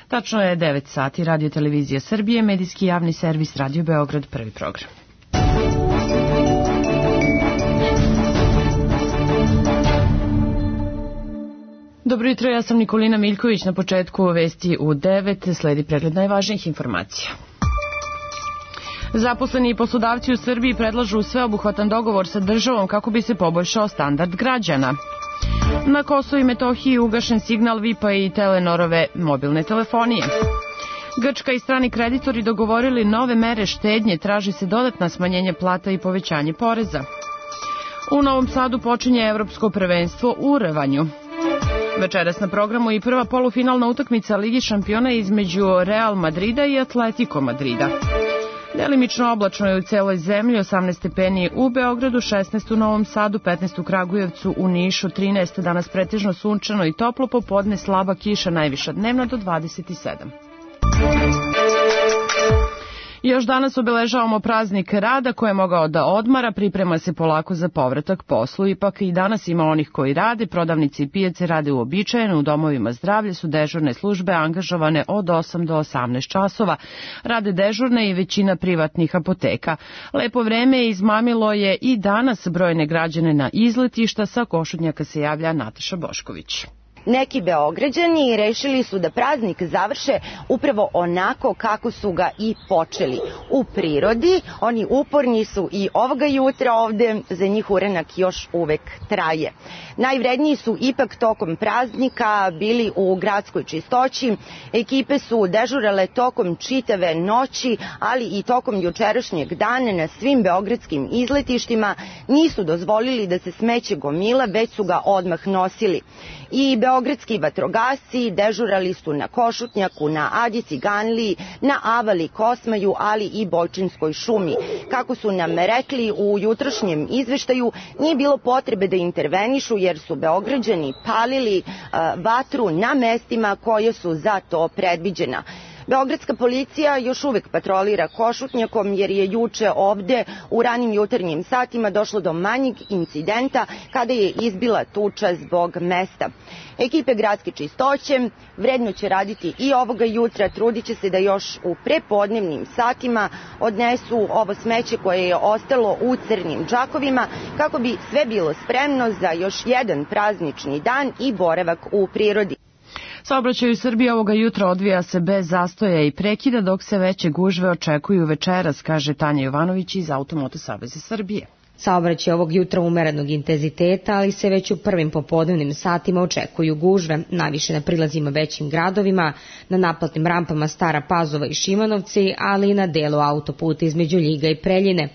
Tačno je 9 sati, Radio Televizija Srbije, medijski javni servis Radio Beograd, prvi program. Dobro jutro, ja sam Nikolina Miljković. Na početku vesti u 9 sledi pregled najvažnijih informacija. Zaposleni i poslodavci u Srbiji predlažu sveobuhvatan dogovor sa državom kako bi se poboljšao standard građana. Na Kosovu i Metohiji ugašen signal VIP-a i Telenorove mobilne telefonije. Grčka i strani kreditori dogovorili nove mere štednje, traži se dodatna smanjenje plata i povećanje poreza. U Novom Sadu počinje evropsko prvenstvo u rvanju. Večeras na programu i prva polufinalna utakmica Ligi šampiona između Real Madrida i Atletico Madrida. Delimično oblačno je u celoj zemlji, 18 stepeni u Beogradu, 16 u Novom Sadu, 15 u Kragujevcu, u Nišu, 13 danas pretežno sunčano i toplo, popodne slaba kiša, najviša dnevna do 27. Još danas obeležavamo praznik rada koji je mogao da odmara, priprema se polako za povratak poslu. Ipak i danas ima onih koji rade, prodavnici i pijace rade uobičajeno, u domovima zdravlja su dežurne službe angažovane od 8 do 18 časova. Rade dežurne i većina privatnih apoteka. Lepo vreme izmamilo je i danas brojne građane na izletišta, sa Košutnjaka se javlja Nataša Bošković. Neki Beograđani rešili su da praznik završe upravo onako kako su ga i počeli. U prirodi, oni uporni su i ovoga jutra ovde, za njih uranak još uvek traje. Najvredniji su ipak tokom praznika bili u gradskoj čistoći. Ekipe su dežurale tokom čitave noći, ali i tokom jučerašnjeg dana na svim beogradskim izletištima. Nisu dozvolili da se smeće gomila, već su ga odmah nosili. I beogradski vatrogasci dežurali su na Košutnjaku, na Adi Ciganliji, na Avali Kosmaju, ali i Bojčinskoj šumi. Kako su nam rekli u jutrošnjem izveštaju, nije bilo potrebe da intervenišu jer su Beograđani palili vatru na mestima koje su za to predviđena. Beogradska policija još uvek patrolira Košutnjakom jer je juče ovde u ranim jutarnjim satima došlo do manjeg incidenta kada je izbila tuča zbog mesta. Ekipe gradske čistoće vredno će raditi i ovoga jutra, trudit će se da još u prepodnevnim satima odnesu ovo smeće koje je ostalo u crnim džakovima kako bi sve bilo spremno za još jedan praznični dan i boravak u prirodi. Saobraćaj u Srbiji ovoga jutra odvija se bez zastoja i prekida, dok se veće gužve očekuju večeras, kaže Tanja Jovanović iz Automoto saveza Srbije. Saobraćaj ovog jutra umerenog intenziteta, ali se već u prvim popodnevnim satima očekuju gužve, najviše na prilazima većim gradovima, na naplatnim rampama Stara Pazova i Šimanovci, ali i na delu autoputa između Ljiga i Preljine.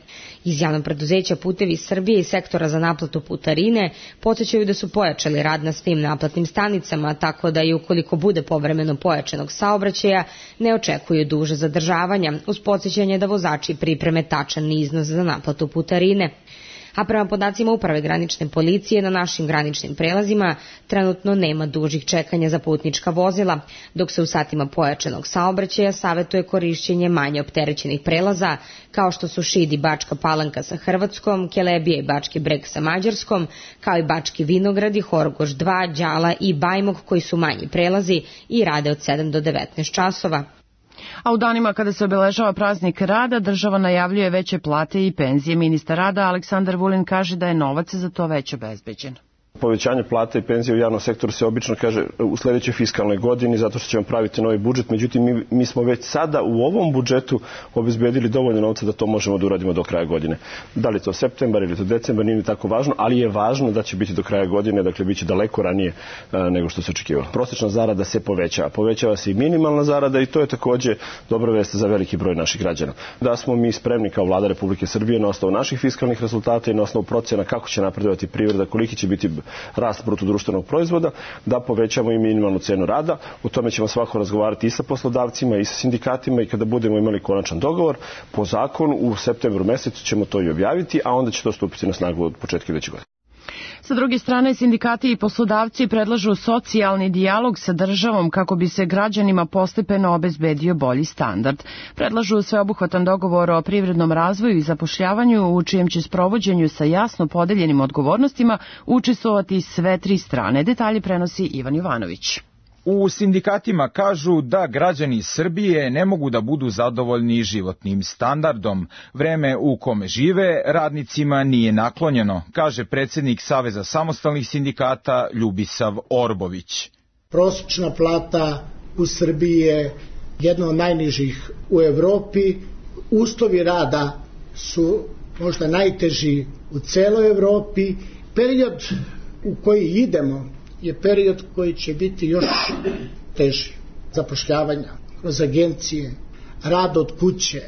Iz javnog preduzeća Putevi Srbije i sektora za naplatu putarine podsećaju da su pojačali rad na svim naplatnim stanicama, tako da i ukoliko bude povremeno pojačanog saobraćaja, ne očekuju duže zadržavanja, uz podsećanje da vozači pripreme tačan iznos za naplatu putarine. A prema podacima Uprave granične policije na našim graničnim prelazima trenutno nema dužih čekanja za putnička vozila, dok se u satima pojačanog saobraćaja savetuje korišćenje manje opterećenih prelaza, kao što su Šid i Bačka Palanka sa Hrvatskom, Kelebija i Bački Breg sa Mađarskom, kao i Bački Vinograd i Horgoš 2, Đala i Bajmok, koji su manji prelazi i rade od 7 do 19 časova. A u danima kada se obeležava praznik rada, država najavljuje veće plate i penzije. Ministar rada Aleksandar Vulin kaže da je novac za to već obezbeđen. Povećanje plata i penzije u javnom sektoru se obično kaže u sledećoj fiskalnoj godini zato što ćemo praviti novi budžet. Međutim, mi smo već sada u ovom budžetu obezbedili dovoljno novca da to možemo da uradimo do kraja godine. Da li to septembar ili to decembar, nije tako važno, ali je važno da će biti do kraja godine, dakle bit će daleko ranije nego što se očekivalo. Prosečna zarada se povećava. Povećava se i minimalna zarada i to je takođe dobra vest za veliki broj naših građana. Da smo mi spremni kao Vlada Republike Srbije na osnovu naših fiskalnih rezultata i na osnovu procena kako će napredovati privreda, koliki će biti rast bruto društvenog proizvoda, da povećamo i minimalnu cenu rada. O tome ćemo svako razgovarati i sa poslodavcima i sa sindikatima i kada budemo imali konačan dogovor, po zakonu u septembru mesecu ćemo to i objaviti, a onda će to stupiti na snagu od početka iduće godine. Sa druge strane, sindikati i poslodavci predlažu socijalni dijalog sa državom kako bi se građanima postepeno obezbedio bolji standard. Predlažu sveobuhvatan dogovor o privrednom razvoju i zapošljavanju u čijem će sprovođenju sa jasno podeljenim odgovornostima učestvovati sve tri strane. Detalje prenosi Ivan Jovanović. U sindikatima kažu da građani Srbije ne mogu da budu zadovoljni životnim standardom. Vreme u kome žive radnicima nije naklonjeno, kaže predsjednik Saveza samostalnih sindikata Ljubisav Orbović. Prosječna plata u Srbiji je jedna od najnižih u Evropi. Uslovi rada su možda najteži u celoj Evropi. Period u koji idemo je period koji će biti još teži. Zapošljavanja kroz agencije, rad od kuće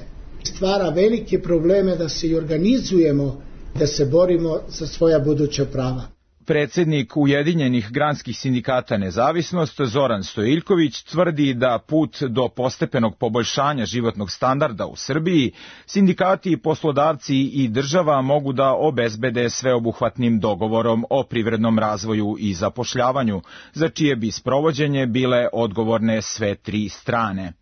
stvara velike probleme da se i organizujemo, da se borimo za svoja buduća prava. Predsjednik Ujedinjenih granskih sindikata Nezavisnost Zoran Stojiljković tvrdi da put do postepenog poboljšanja životnog standarda u Srbiji sindikati, poslodavci i država mogu da obezbede sveobuhvatnim dogovorom o privrednom razvoju i zapošljavanju, za čije bi sprovođenje bile odgovorne sve tri strane.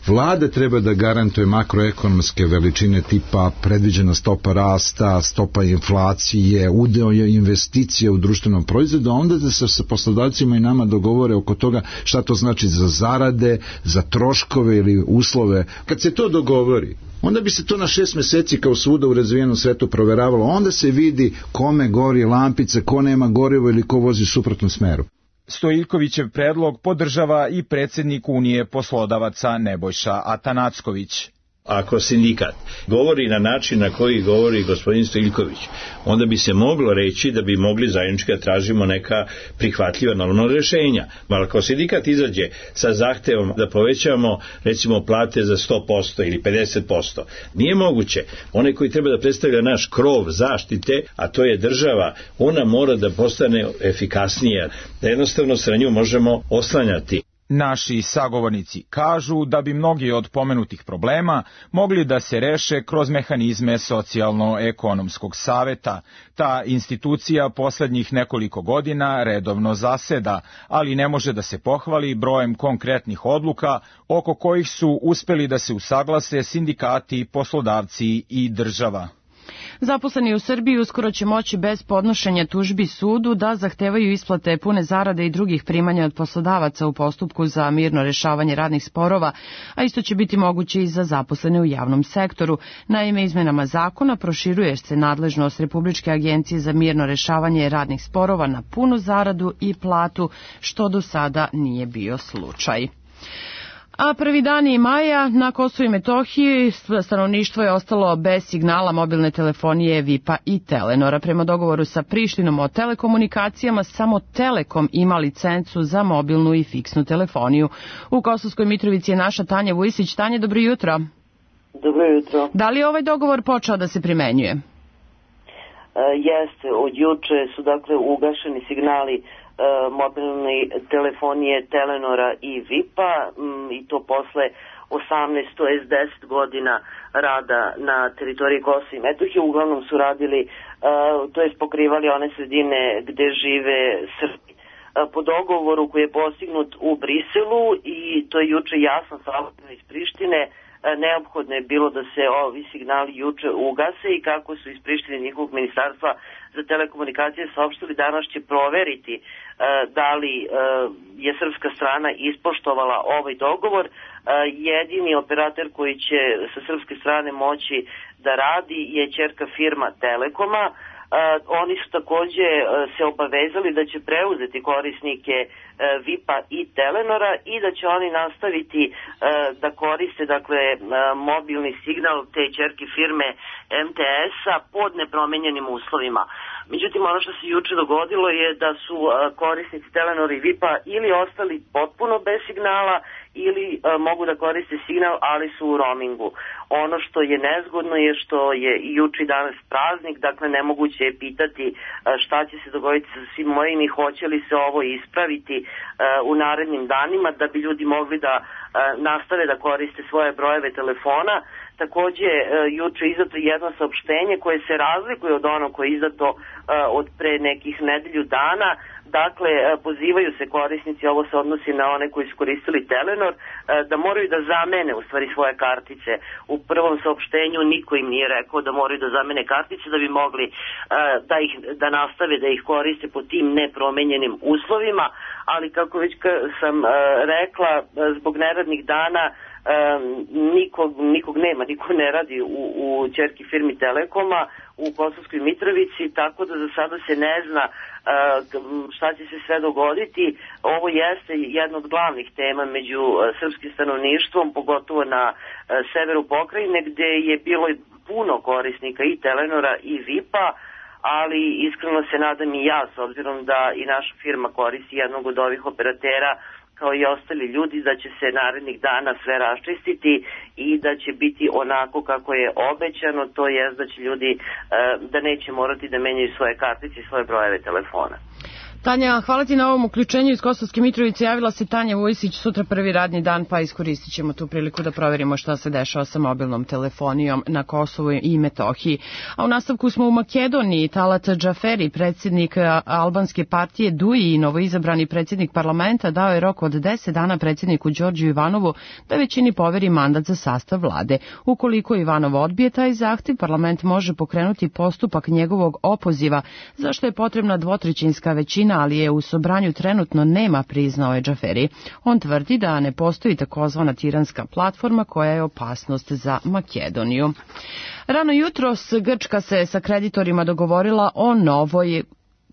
Vlada treba da garantuje makroekonomske veličine tipa predviđena stopa rasta, stopa inflacije, udeo investicije u društvenom proizvodu, a onda da se sa poslodavcima i nama dogovore oko toga šta to znači za zarade, za troškove ili uslove. Kad se to dogovori, onda bi se to na 6 meseci kao svuda u razvijenom svetu proveravalo, onda se vidi kome gori lampica, ko nema gorivo ili ko vozi u suprotnom smeru. Stojiljkovićev predlog podržava i predsjednik Unije poslodavaca Nebojša Atanacković. Ako sindikat govori na način na koji govori gospodin Stojiljković, onda bi se moglo reći da bi mogli zajednički da tražimo neka prihvatljiva normalna rješenja. Ali ako sindikat izađe sa zahtevom da povećamo recimo plate za 100% ili 50%, nije moguće. Onaj koji treba da predstavlja naš krov zaštite, a to je država, ona mora da postane efikasnija, da jednostavno se na nju možemo oslanjati. Naši sagovornici kažu da bi mnogi od pomenutih problema mogli da se reše kroz mehanizme socijalno-ekonomskog saveta. Ta institucija poslednjih nekoliko godina redovno zaseda, ali ne može da se pohvali brojem konkretnih odluka oko kojih su uspeli da se usaglase sindikati, poslodavci i država. Zaposleni u Srbiji uskoro će moći bez podnošenja tužbi sudu da zahtevaju isplate pune zarade i drugih primanja od poslodavaca u postupku za mirno rešavanje radnih sporova, a isto će biti moguće i za zaposlene u javnom sektoru. Naime, izmenama zakona proširuje se nadležnost Republičke agencije za mirno rešavanje radnih sporova na punu zaradu i platu, što do sada nije bio slučaj. A prvi dani maja na Kosovu i Metohiji stanovništvo je ostalo bez signala mobilne telefonije VIP-a i Telenora. Prema dogovoru sa Prištinom o telekomunikacijama, samo Telekom ima licencu za mobilnu i fiksnu telefoniju. U Kosovskoj Mitrovici je naša Tanja Vujisić. Tanja, dobro jutro. Dobro jutro. Da li je ovaj dogovor počeo da se primenjuje? Jeste, od juče su dakle ugašeni signali mobilne telefonije Telenora i VIP-a i to posle 18, to jest 10 godina rada na teritoriji Kosova i Metohije. Uglavnom su radili, to jest pokrivali one sredine gde žive Srbi. Po dogovoru koji je postignut u Briselu, i to je juče jasno saopšteno iz Prištine, neophodno je bilo da se ovi signali juče ugase, i kako su iz Prištine njihovog ministarstva za telekomunikacije saopštili, danas će proveriti da li je srpska strana ispoštovala ovaj dogovor. Jedini operator koji će sa srpske strane moći da radi je ćerka firma Telekoma. Oni su takođe se obavezali da će preuzeti korisnike VIP-a i Telenora i da će oni nastaviti da koriste dakle mobilni signal te ćerke firme MTS-a pod nepromenjenim uslovima. Međutim, ono što se juče dogodilo je da su korisnici Telenora i VIP-a ili ostali potpuno bez signala ili mogu da koriste signal, ali su u roamingu. Ono što je nezgodno je što je juče i danas praznik, dakle nemoguće je pitati šta će se dogoditi sa svim mojim i hoće li se ovo ispraviti u narednim danima da bi ljudi mogli da nastave da koriste svoje brojeve telefona. Takođe, juče je izdato jedno saopštenje koje se razlikuje od onog koje je izdato od pre nekih nedelju dana, Dakle, pozivaju se korisnici, ovo se odnosi na one koji su koristili Telenor, da moraju da zamene u stvari svoje kartice. U prvom saopštenju niko im nije rekao da moraju da zamene kartice da bi mogli da nastave da ih koriste po tim nepromenjenim uslovima, ali kako već sam rekla, zbog neradnih dana nikog nema, niko ne radi u ćerki firmi Telekoma u Kosovskoj Mitrovici, tako da za sada se ne zna šta će se sve dogoditi. Ovo jeste jedna od glavnih tema među srpskim stanovništvom, pogotovo na severu pokrajine, gde je bilo puno korisnika i Telenora i VIP-a, ali iskreno se nadam i ja, s obzirom da i naša firma koristi jednog od ovih operatera, kao i ostali ljudi, da će se narednih dana sve raščistiti i da će biti onako kako je obećano, to je da će ljudi da neće morati da menjaju svoje kartice i svoje brojeve telefona. Tanja, hvala ti na ovom uključenju iz Kosovske Mitrovice. Javila se Tanja Vujsić, sutra prvi radni dan, pa iskoristit ćemo tu priliku da proverimo šta se dešava sa mobilnom telefonijom na Kosovu i Metohiji. A u nastavku smo u Makedoniji. Talat Džaferi, predsjednik albanske partije DUI i novoizabrani predsjednik parlamenta, dao je rok od 10 dana predsjedniku Đorđu Ivanovu da većini poveri mandat za sastav vlade. Ukoliko Ivanov odbije taj zahtev, parlament može pokrenuti postupak njegovog opoziva, zašto je potrebna dvotrećinska većina, ali je u sobranju trenutno nema, priznao je Džaferi. On tvrdi da ne postoji takozvana tiranska platforma koja je opasnost za Makedoniju. Rano jutros Grčka se sa kreditorima dogovorila o novoj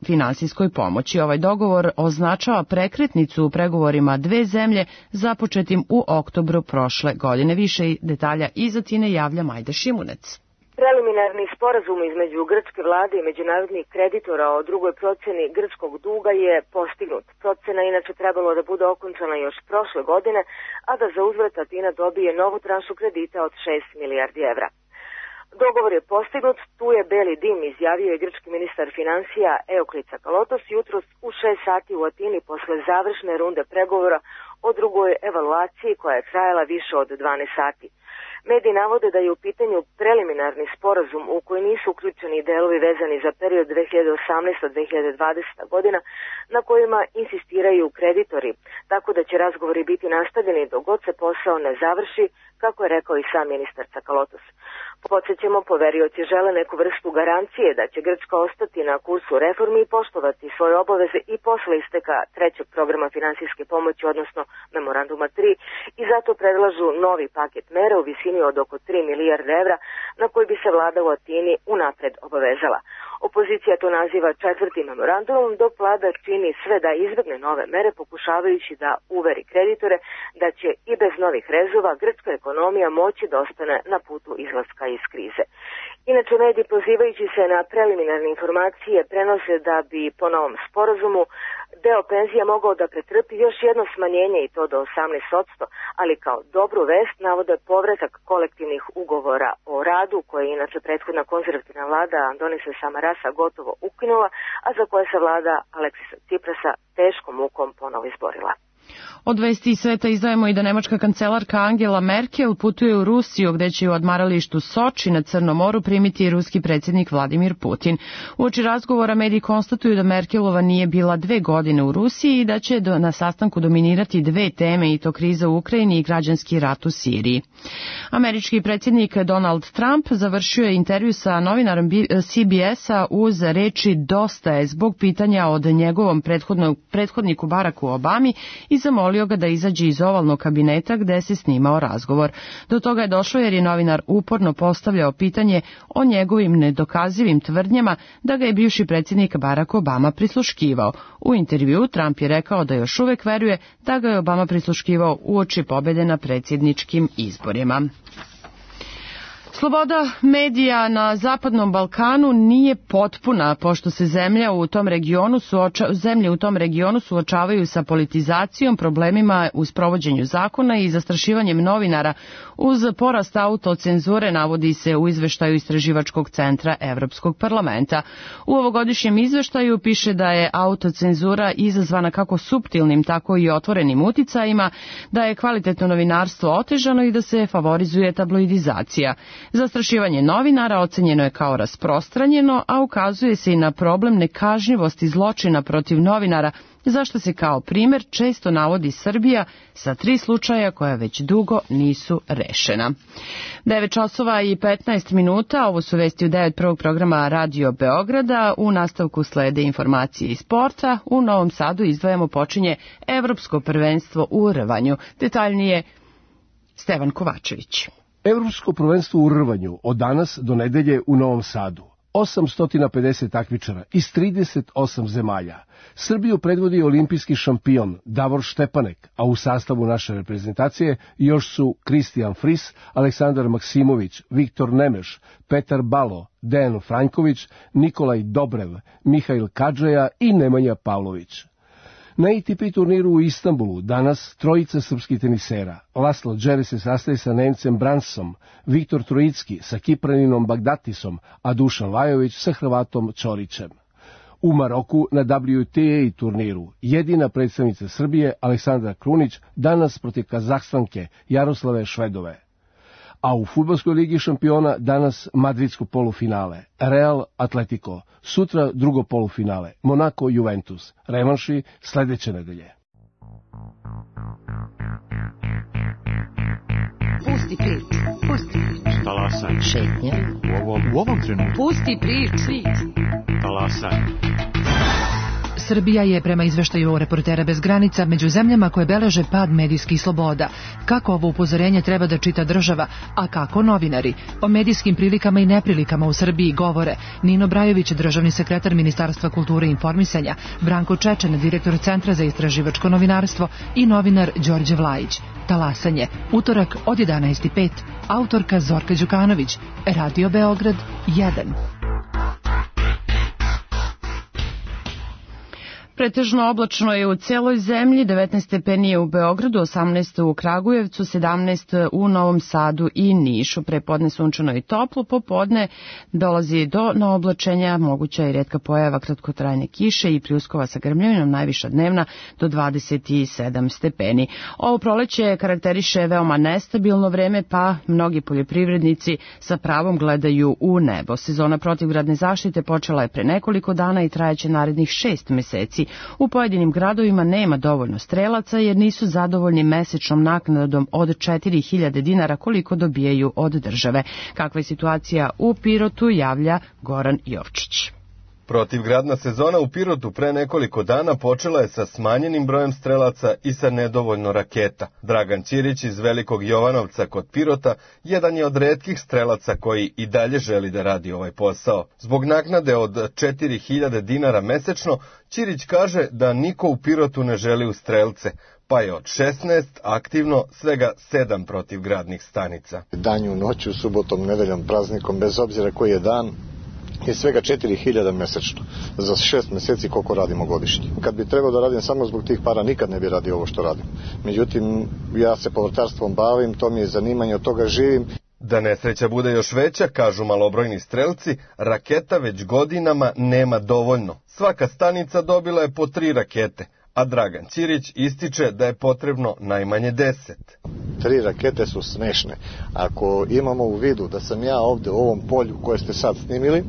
finansijskoj pomoći. Ovaj dogovor označava prekretnicu u pregovorima dve zemlje započetim u oktobru prošle godine. Više detalja iz Atine javlja Majda Šimunec. Preliminarni sporazum između grčke vlade i međunarodnih kreditora o drugoj procjeni grčkog duga je postignut. Procjena inače trebalo da bude okončana još prošle godine, a da za uzvrat Atina dobije novu tranšu kredita od 6 milijardi evra. Dogovor je postignut, tu je beli dim, izjavio je grčki ministar financija Euklis Tsakalotos jutros u 6 sati u Atini posle završne runde pregovora o drugoj evaluaciji koja je trajala više od 12 sati. Mediji navode da je u pitanju preliminarni sporazum u koji nisu uključeni delovi vezani za period 2018-2020 godina na kojima insistiraju kreditori, tako da će razgovori biti nastavljeni dok god se posao ne završi, kako je rekao i sam ministar Tsakalotos. Podsjećamo, poverioci žele neku vrstu garancije da će Grčka ostati na kursu reformi i poštovati svoje obaveze i posle isteka trećeg programa finansijske pomoći, odnosno memoranduma 3, i zato predlažu novi paket mera u visini od oko 3 milijarde evra na koji bi se vlada u Atini unapred obavezala. Opozicija to naziva četvrtim memorandumom, dok vlada čini sve da izbegne nove mere, pokušavajući da uveri kreditore da će i bez novih rezova grčka ekonomija moći da ostane na putu izlaska iz krize. Inače, mediji pozivajući se na preliminarne informacije prenose da bi po novom sporazumu deo penzija mogao da pretrpi još jedno smanjenje i to do 18%, ali kao dobru vest navode povratak kolektivnih ugovora o radu, koje je inače prethodna konzervativna vlada Andonisa Samarasa gotovo ukinula, a za koje se vlada Aleksisa Tsiprasa teškom mukom ponovo izborila. Od vesti iz sveta izdajemo i da nemačka kancelarka Angela Merkel putuje u Rusiju, gde će u odmaralištu Soči na Crnom moru primiti ruski predsjednik Vladimir Putin. Uoči razgovora mediji konstatuju da Merkelova nije bila 2 godine u Rusiji i da će na sastanku dominirati 2 teme, i to kriza u Ukrajini i građanski rat u Siriji. Američki predsjednik Donald Trump završio je intervju sa novinarom CBS-a uz reči "dosta je" zbog pitanja od njegovom prethodniku Baracku Obami i zamolio ga da izađe iz ovalnog kabineta gde se snimao razgovor. Do toga je došlo jer je novinar uporno postavljao pitanje o njegovim nedokazivim tvrdnjama da ga je bivši predsjednik Barack Obama prisluškivao. U intervjuu Trump je rekao da još uvek veruje da ga je Obama prisluškivao uoči pobjede na predsjedničkim izborima. Sloboda medija na Zapadnom Balkanu nije potpuna, pošto se zemlje u tom regionu suočavaju sa politizacijom, problemima u sprovođenju zakona i zastrašivanjem novinara uz porast autocenzure, navodi se u izveštaju Istraživačkog centra Evropskog parlamenta. U ovogodišnjem izveštaju piše da je autocenzura izazvana kako suptilnim, tako i otvorenim uticajima, da je kvalitetno novinarstvo otežano i da se favorizuje tabloidizacija. Zastrašivanje novinara ocenjeno je kao rasprostranjeno, a ukazuje se i na problem nekažnjivosti zločina protiv novinara, zašto se kao primer često navodi Srbija sa 3 slučaja koja već dugo nisu rešena. 9 časova i 15 minuta, ovo su vesti u 9 prvog programa Radio Beograda. U nastavku slede informacije iz sporta. U Novom Sadu izdvajamo počinje Evropsko prvenstvo u rvanju. Detaljnije Stevan Kovačević. Evropsko prvenstvo u rvanju od danas do nedelje u Novom Sadu. 850 takmičara iz 38 zemalja. Srbiju predvodi olimpijski šampion Davor Štepanek, a u sastavu naše reprezentacije još su Kristijan Fris, Aleksandar Maksimović, Viktor Nemeš, Petar Balo, Dejan Franjković, Nikolaj Dobrev, Mihail Kadžaja i Nemanja Pavlović. Na ATP turniru u Istanbulu danas trojica srpskih tenisera. Laslo Džere se sastaje sa Nemcem Bransom, Viktor Trojicki sa Kipraninom Bagdatisom, a Dušan Lajović sa Hrvatom Ćorićem. U Maroku na WTA turniru jedina predstavnica Srbije Aleksandra Krunić danas protiv Kazahstanke Jaroslave Švedove. A u fudbalskoj ligi šampiona danas madridsko polufinale, Real Atletico, sutra drugo polufinale, Monaco Juventus, revanši sledeće nedelje. Pusti priču, pusti priču. Talasaj. Šetnja. U ovom trenutku. Pusti priču. Talasaj. Srbija je prema izveštaju Reportera bez granica među zemljama koje beleže pad medijskih sloboda. Kako ovo upozorenje treba da čita država, a kako novinari? O medijskim prilikama i neprilikama u Srbiji govore Nino Brajović, državni sekretar Ministarstva kulture i informisanja, Branko Čečen, direktor Centra za istraživačko novinarstvo i novinar Đorđe Vlajić. Talasanje, utorak od 11:05. Autorka Zorka Đukanović, Radio Beograd 1. Pretežno oblačno je u celoj zemlji, 19 stepeni je u Beogradu, 18 u Kragujevcu, 17 u Novom Sadu i Nišu. Prepodne sunčano i toplo, popodne dolazi do naoblačenja, moguća i retka pojava kratkotrajne kiše i pljuskova sa grmljavinom, najviša dnevna do 27 stepeni. Ovo proleće karakteriše veoma nestabilno vreme, pa mnogi poljoprivrednici sa pravom gledaju u nebo. Sezona protivgradne zaštite počela je pre nekoliko dana i trajeće narednih 6 meseci. U pojedinim gradovima nema dovoljno strelaca jer nisu zadovoljni mesečnom naknadom od 4.000 dinara koliko dobijaju od države. Kakva je situacija u Pirotu, javlja Goran Jovčić. Protivgradna sezona u Pirotu pre nekoliko dana počela je sa smanjenim brojem strelaca i sa nedovoljno raketa. Dragan Ćirić iz Velikog Jovanovca kod Pirota jedan je od retkih strelaca koji i dalje želi da radi ovaj posao. Zbog naknade od 4.000 dinara mesečno, Ćirić kaže da niko u Pirotu ne želi u strelce, pa je od 16 aktivno svega 7 protivgradnih stanica. Danju, noću, subotom, nedeljom, praznikom, bez obzira koji je dan, je svega 4.000 mesečno za 6 meseci koliko radimo godišnje. Kad bi trebao da radim samo zbog tih para, nikad ne bi radio ovo što radim. Međutim, ja se povrtarstvom bavim, to mi je zanimanje, od toga živim. Da nesreća bude još veća, kažu malobrojni strelci, raketa već godinama nema dovoljno. Svaka stanica dobila je po 3 rakete, a Dragan Ćirić ističe da je potrebno najmanje 10. 3 rakete su smešne. Ako imamo u vidu da sam ja ovde u ovom polju koje ste sad snimili,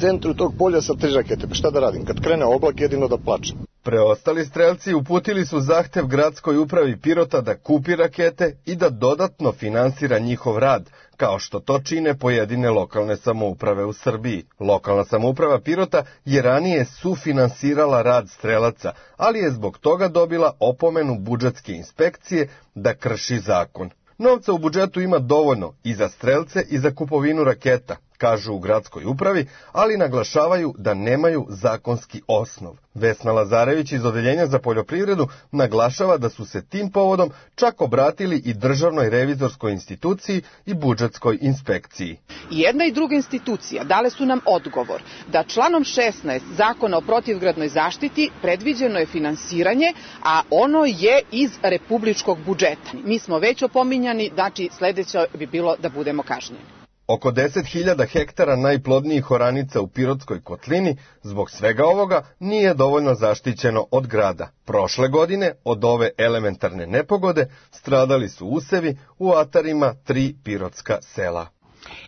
centru tog polja sa 3 rakete, pa šta da radim? Kad krene oblak, jedino da plačem. Preostali strelci uputili su zahtev gradskoj upravi Pirota da kupi rakete i da dodatno finansira njihov rad, kao što to čine pojedine lokalne samouprave u Srbiji. Lokalna samouprava Pirota je ranije sufinansirala rad strelaca, ali je zbog toga dobila opomenu budžetske inspekcije da krši zakon. Novca u budžetu ima dovoljno i za strelce i za kupovinu raketa, kažu u gradskoj upravi, ali naglašavaju da nemaju zakonski osnov. Vesna Lazarević iz Odeljenja za poljoprivredu naglašava da su se tim povodom čak obratili i Državnoj revizorskoj instituciji i budžetskoj inspekciji. Jedna i druga institucija dale su nam odgovor da članom 16 Zakona o protivgradnoj zaštiti predviđeno je finansiranje, a ono je iz republičkog budžeta. Mi smo već opominjani, znači sledeće bi bilo da budemo kažnjeni. Oko 10.000 hektara najplodnijih oranica u Pirotskoj kotlini zbog svega ovoga nije dovoljno zaštićeno od grada. Prošle godine od ove elementarne nepogode stradali su usevi u atarima 3 pirotska sela.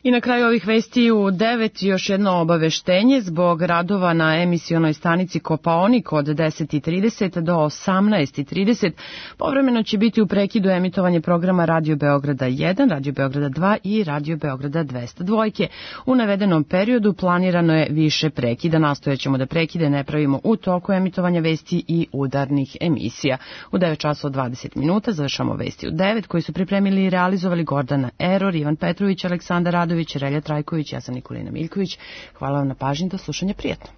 I na kraju ovih vesti u 9 još jedno obaveštenje zbog radova na emisionoj stanici Kopaonik od 10:30 do 18:30. Povremeno će biti u prekidu emitovanje programa Radio Beograda 1, Radio Beograda 2 i Radio Beograda 202. U navedenom periodu planirano je više prekida. Nastojaćemo da prekide ne pravimo u toku emitovanja vesti i udarnih emisija. U 9 časova 20 minuta završamo vesti u 9 koji su pripremili i realizovali Gordana Eror, Ivan Petrović, Aleksandar Radović, Relja Trajković, ja sam Nikolina Miljković. Hvala vam na pažnji, do slušanja, prijatno.